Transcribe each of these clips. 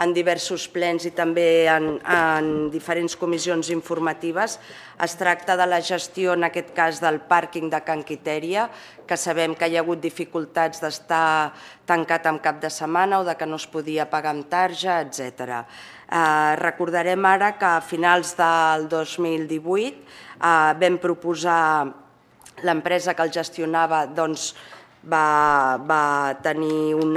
en diversos plens i també en diferents comissions informatives. Es tracta de la gestió, en aquest cas, del pàrquing de Can Quitèria, que sabem que hi ha hagut dificultats d'estar tancat en cap de setmana o de que no es podia pagar amb tarja, etc. Recordarem ara que a finals del 2018 vam proposar, l'empresa que el gestionava va tenir un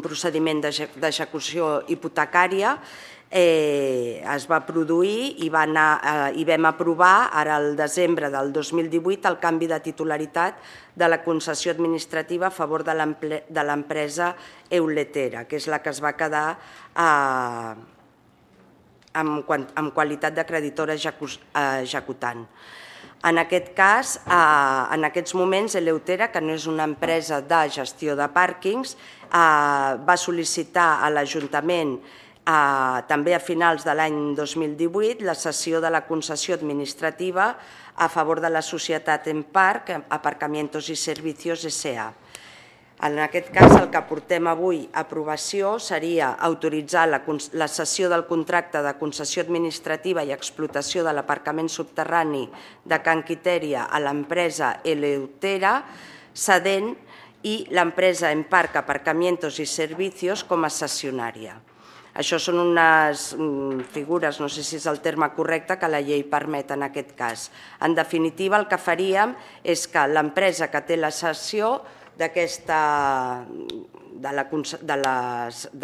procediment d'execució hipotecària, es va produir i vam aprovar ara al desembre del 2018 el canvi de titularitat de la concessió administrativa a favor de l'empresa Euletera, que és la que es va quedar en qualitat de creditora executant. En aquest cas, en aquests moments, Eleutera, que no és una empresa de gestió de pàrquings, va sol·licitar a l'Ajuntament també a finals de l'any 2018 la cessió de la concessió administrativa a favor de la societat Emparc, Aparcamientos y Servicios S.A. En aquest cas, el que portem avui a aprovació seria autoritzar la cessió del contracte de concessió administrativa i explotació de l'aparcament subterrani de Can Quitèria a l'empresa Eleutera, cedent i l'empresa Emparc, Aparcamientos y Servicios com a cessionària. Això són unes figures, no sé si és el terme correcte, que la llei permet en aquest cas. En definitiva, el que faríem és que l'empresa que té la cessió de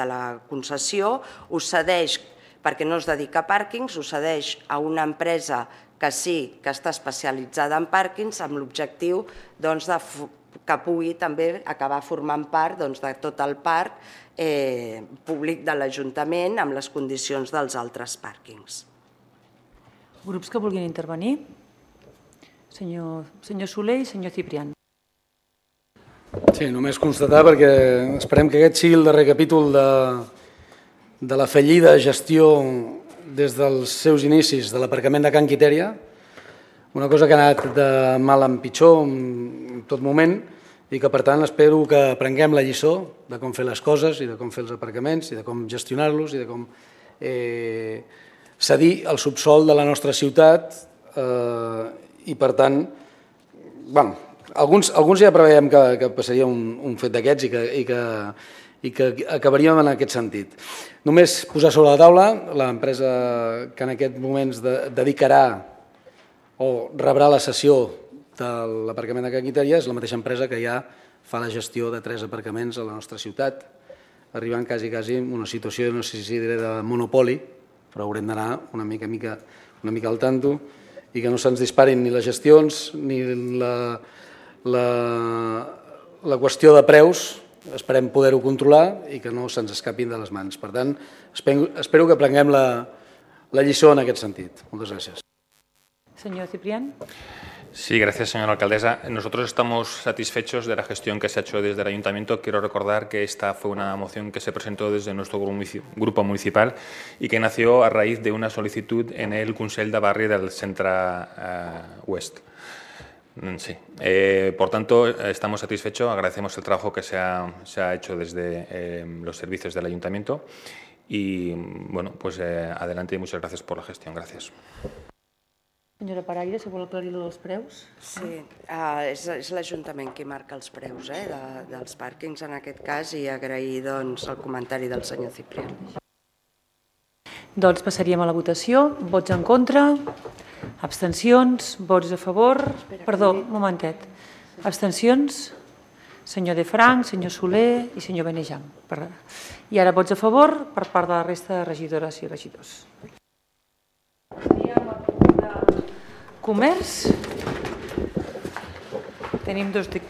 la concessió ho cedeix, perquè no es dedica a pàrquings, ho cedeix a una empresa que sí que està especialitzada en pàrquings amb l'objectiu que pugui també acabar formant part de tot el parc públic de l'Ajuntament amb les condicions dels altres pàrquings. Grups que vulguin intervenir? Senyor Soler i senyor Ciprián. Sí, només constatar, perquè esperem que aquest sigui el darrer capítol de la fallida gestió des dels seus inicis de l'aparcament de Can Quitèria, una cosa que ha anat de mal en pitjor en tot moment i que, per tant, espero que aprenguem la lliçó de com fer les coses i de com fer els aparcaments i de com gestionar-los i de com cedir el subsol de la nostra ciutat i, per tant, alguns ja preveiem que passaria un fet d'aquests i que acabaríem en aquest sentit. Només posar sobre la taula l'empresa que en aquest moment dedicarà o rebrà la cessió de l'aparcament de Can Quitèria és la mateixa empresa que ja fa la gestió de 3 aparcaments a la nostra ciutat, arribant quasi en una situació, no sé si diré de monopoli, però haurem d'anar una mica al tanto i que no se'ns disparin ni les gestions ni la qüestió de preus, esperem poder-ho controlar i que no se'ns escapin de les mans. Per tant, espero que aprenguem la lliçó en aquest sentit. Moltes gràcies. Señor Ciprián. Sí, gracias, señora alcaldesa. Nosotros estamos satisfechos de la gestión que se ha hecho desde el Ayuntamiento. Quiero recordar que esta fue una moción que se presentó desde nuestro grupo municipal y que nació a raíz de una solicitud en el Consell de Barri del Centre Oest. Sí. Por tanto, estamos satisfechos, agradecemos el trabajo que se ha hecho desde los servicios del Ayuntamiento y, bueno, pues adelante y muchas gracias por la gestión. Gracias. Senyora Paraire, si vol aclarir dels preus. Sí, és l'Ajuntament qui marca els preus dels pàrquings en aquest cas i agrair el comentari del senyor Ciprián. Doncs passaríem a la votació. Vots en contra, abstencions, vots a favor... Perdó, un momentet. Abstencions, senyor De Franc, senyor Soler i senyor Benejam. I ara vots a favor per part de la resta de regidores i regidors. Comerç. Tenim 2 dictàmens.